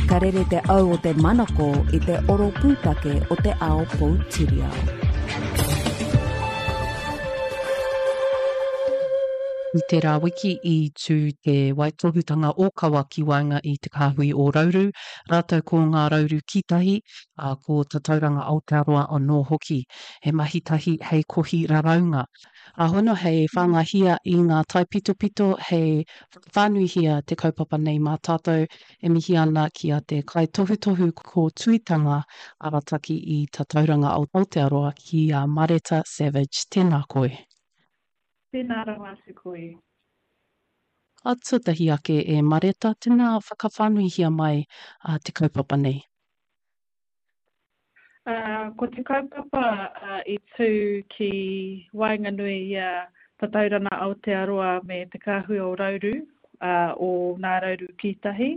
Ka rere te au o te manako i te oro pūtake o te ao poutiriao. I tērā wiki i tū te waitohutanga ōkawa ki waenga i Te Kāhui o Rauru, rātou ko Ngā Rauru Kītahi, ā, ko Tatauranga Aotearoa anō hoki. He mahi tahi hei kohi raraunga. Ā, hono hei whāngahia i ngā taipitopito hei whakawhānuihia te kaupapa nei mā tātou e mihi ana ki a te kaitohutohu kōtuitanga arataki i Tatauranga Aotearoa ki a Mareta Savage. Tēnā koe. Tēnā rawa atu koe. Ā, tuatahi ake e Mareta, tēnā whakawhānuihia mai te kaupapa nei. Ko te kaupapa i tū ki waenganui i a Tatauranga Aotearoa me Te Kāhui o Rauru, o Nā Rauru Kītahi,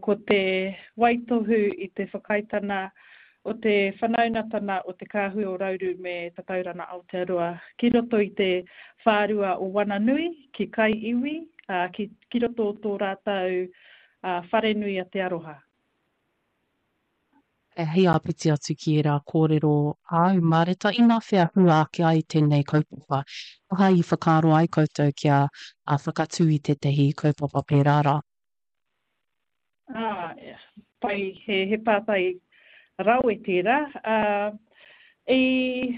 ko te waitohu i te whakaaetana o te whanaungatana o Te Kāhui o Rauru me Tatauranga Aotearoa ki roto i te whārua o Wananui, ki Kai Iwi, ki roto o tō rātou wharenui a Te Aroha. Hei āpiti atu ki ērā kōrero āu, Mareta, inawhea hua ake ai tēnei kaupapa? Aha i whakaaro ai koutou kia whakatū i tētahi kaupapa pērā rā? Ā, pai, he, he pātai rawe tērā. Ā, i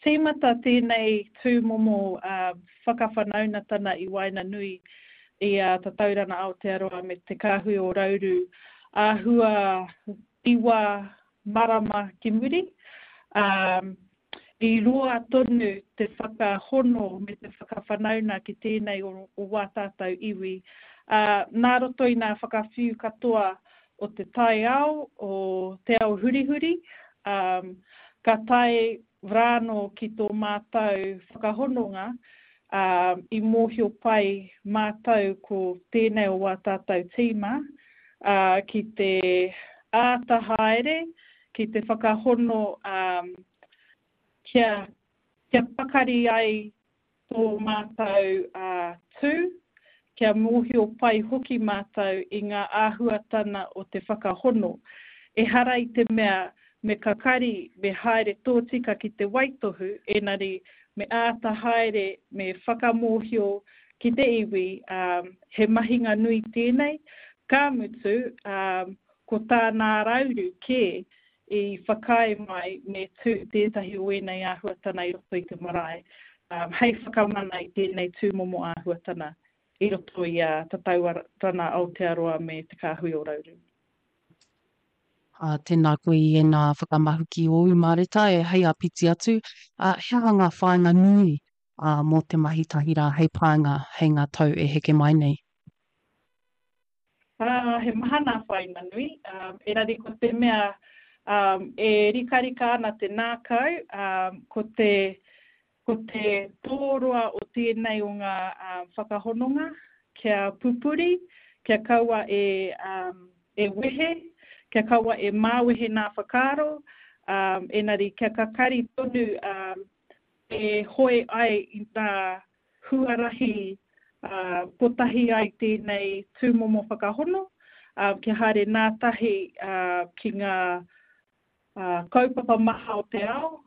tīmata tēnei tūmomo whakawhanaunatana i waenganui i a Tatauranga Aotearoa me Te Kāhui o Rauru āhua iwa marama ki muri. I roa tonu te whakahono me te whakawhanauna ki tēnei o, o wā tātou iwi. Ā, nā roto i nā whakawhiu katoa o te taiao, o te ao hurihuri, ā, ka tae rānō ki tō mātou whakahononga, ā, i mōhio pai mātou ko tēnei o wā tātou tīma, ā, ki te āta haere, ki te whakahono, ā, kia, kia pakari ai tō mātou tū, kia mōhio pai hoki mātou i ngā āhuatana o te whakahono. Ehara i te mea me kakari, me haere tōtika ki te waitohu, engari me āta haere, me whakamōhio ki te iwi, he mahinga nui tēnei, ka mutu, ko tā Nārauru kē i whakaae mai me tū tētahi o ēnei āhuatana i roto i te marae, hei whakamana i tēnei tūmomo āhuatana i roto i a Tatauranga Aotearoa me Te Kāhui o Rauru. Ā, tēnā koe i ēnā whakamahuki ōu, Mareta, e hei āpiti atu, ā, he aha ngā whāinga nui, ā, mō te mahi tahi rā hei pānga hei ngā tau e heke mai nei? Ā, he maha nā whāinga nui, engari ko te mea e rikarika ana te nākau, ko te, ko te tōroa o tēnei o ngā whakahononga, kia pupuri, kia kaua e, e wehe, kia kaua e māwehe nā whakaaro, engari kia kakari tonu e hoe ai i ngā huarahi kotahi ai tēnei tūmomo whakahono, kia haere nātahi ki ngā kaupapa maha o te ao,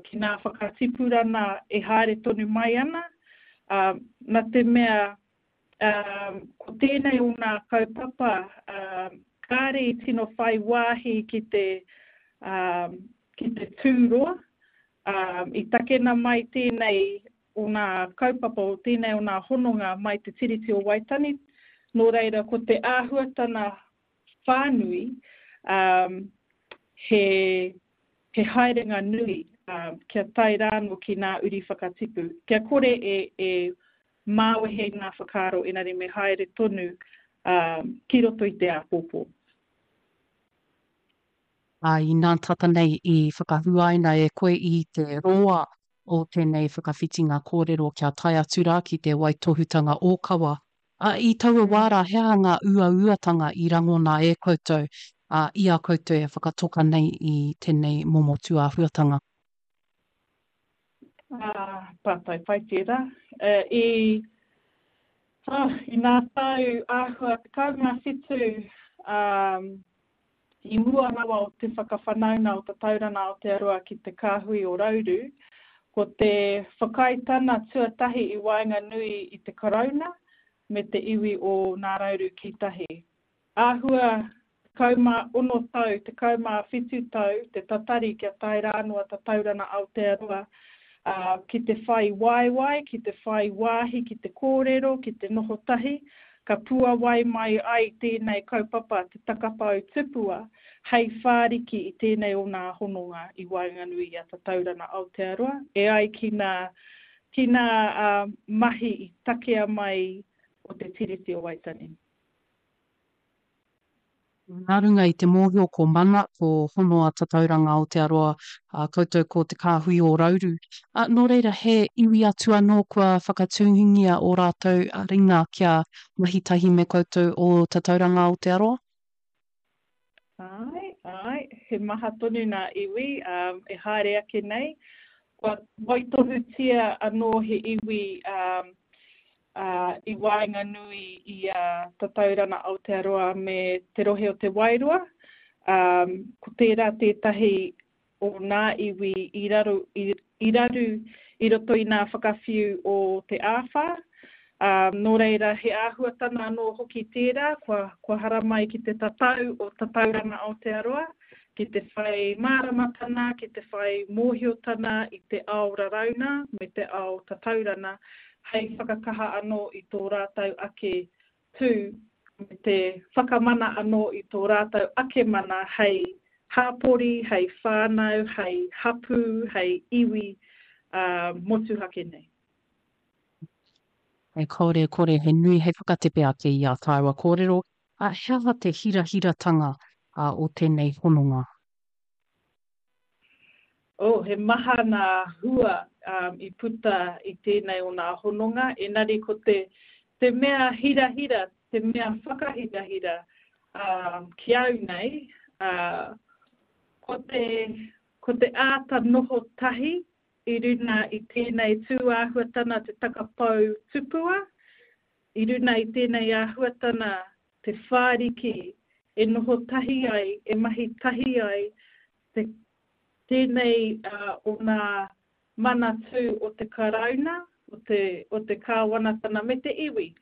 ki ngā whakatipurana e haere tonu mai ana, nā te mea ko tēnei o ngā kaupapa kāre i tino whai wāhi ki te, ki te tūroa, i takena mai tēnei o ngā kaupapa, o tēnei o ngā hononga mai te Tiriti o Waitangi, nō reira ko te āhuatana whānui he, he haerenga nui kia tae rānō ki ngā uri whakatipu, kia kore e, e māwehe ngā whakaaro engari me haere tonu ki roto i te āpōpō. Ā, inā tata nei i whakahuaina e koe i te roa o tēnei whakawhitinga kōrero kia tae atu rā ki te waitohutanga ōkawa. Ā, i taua wā rā, he aha ngā uauatanga i rangona e koutou, ā, i a koutou e whakatoka nei i tēnei momo tūāhuatanga? Ā, pātai pai tērā. I, ā, i ngā tau āhua 17, ā, i mua rawa o te whakawhanauna o Tatauranga Aotearoa ki te kāhui o Rauru, ko te whakaaetana tuatahi i waenganui i te Karauna me te iwi o Nā Rauru Kītahi. Āhua 16 tau, 17 tau te tatari kia tae rānoa Tatauranga Aotearoa, ā, ki te whai waewae, ki te whai wāhi ki te kōrero, ki te noho tahi, ka puawai mai ai tēnei kaupapa te takapau tupua hei whāriki i tēnei o nā hononga i waenganui i a Tatauranga Aotearoa e ai ki nā, ki nā mahi i takea mai o Te Tiriti o Waitangi. Nā runga i te mōhio ko Mana, ko Hono a Tatauranga Aotearoa, ā, koutou ko Te Kāhui o Rauru. Ā, nō reira, he iwi atu anō kua whakatūngia ō rātou ringa kia mahi tahi me koutou o Tatauranga Aotearoa? Āe, āe, he maha tonu nā iwi, ā, e haere ake nei. Kua waitohutia anō he iwi, ā, ā, i waenganui i a Tatauranga Aotearoa me te rohe o Te Wairoa, ā, ko tērā tētahi o nā iwi i raru, i, i raru i roto i nā whakawhiu o te āwhā. Ā, nō reira, he āhuatana anō hoki tērā kua, kua haramai ki te tatau o Tatauranga Aotearoa, ki te whai māramatana, ki te whai mōhiotana i te ao rarauna me te ao tataurana hei whakakaha anō i tō rātou ake tū me te whakamana anō i tō rātou ake mana hei hāpori, hei whānau, hei hapū, hei iwi motuhake nei. E kore e kore he nui hei whakatepe ake i ā tāua kōrero, ā, he aha te hirahiratanga o tēnei hononga? Oh, he maha nā hua i puta i tēnei o nā hononga, engari ko te, te mea hirahira, te mea whakahirahira ki au nei, ko te, ko te āta noho tahi i runa i tēnei tūāhuatana te takapou tupua, i runa i tēnei āhuatana te whāriki e noho tahi ai, e mahi tahi ai te, tēnei o nā manatū o te Karauna, o te, o te Kāwanatana me te iwi.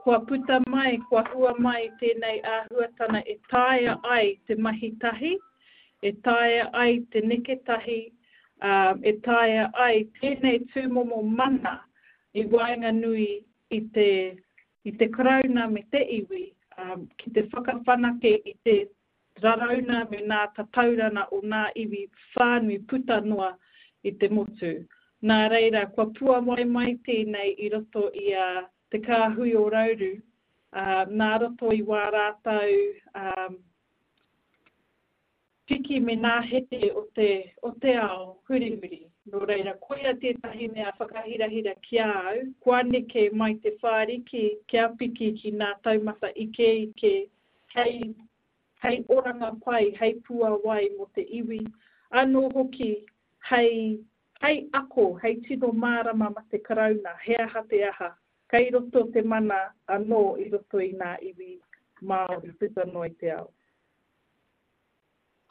Kua puta mai, kua hua mai tēnei āhuatana e taea ai te mahi tahi, e taea ai te neke tahi, ā, e taea ai tēnei tūmomo mana i waenganui i te, i te Karauna me te iwi, ā, ki te whakawhanake i te rarauna me nā tataurana o nā iwi whānui puta noa i te motu. Nā reira, kua puawai mai tēnei i roto i a Te Kāhui o Rauru, ā, nā roto i wā rātou, ā, piki me nā heke o te, o te ao hurihuri. Nō reira, koia tētahi mea whakahirahira ki a au, kua neke mai te whāriki kia piki ki nā taumata ikeike hei, hei oranga pai, hei puawai mō te iwi, anō hoki hei, hei ako, hei tino mārama ma te Karauna, he aha te aha, kei roto te mana anō i roto i nā iwi Māori puta noa i te ao.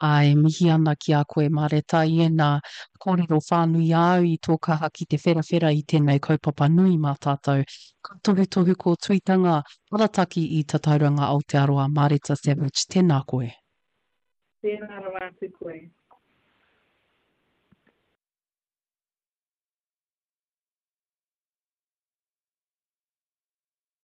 Ā, e mihi ana ki a koe, Mareta, i ēnā kōrero whānui āu i tō kaha ki te wherawhera i tēnei kaupapa nui mā tātou. Ka tohutohu kōtuitanga arataki i Tatauranga Aotearoa, Mareta Savage, tēnā koe. Tēnā rawa atu koe.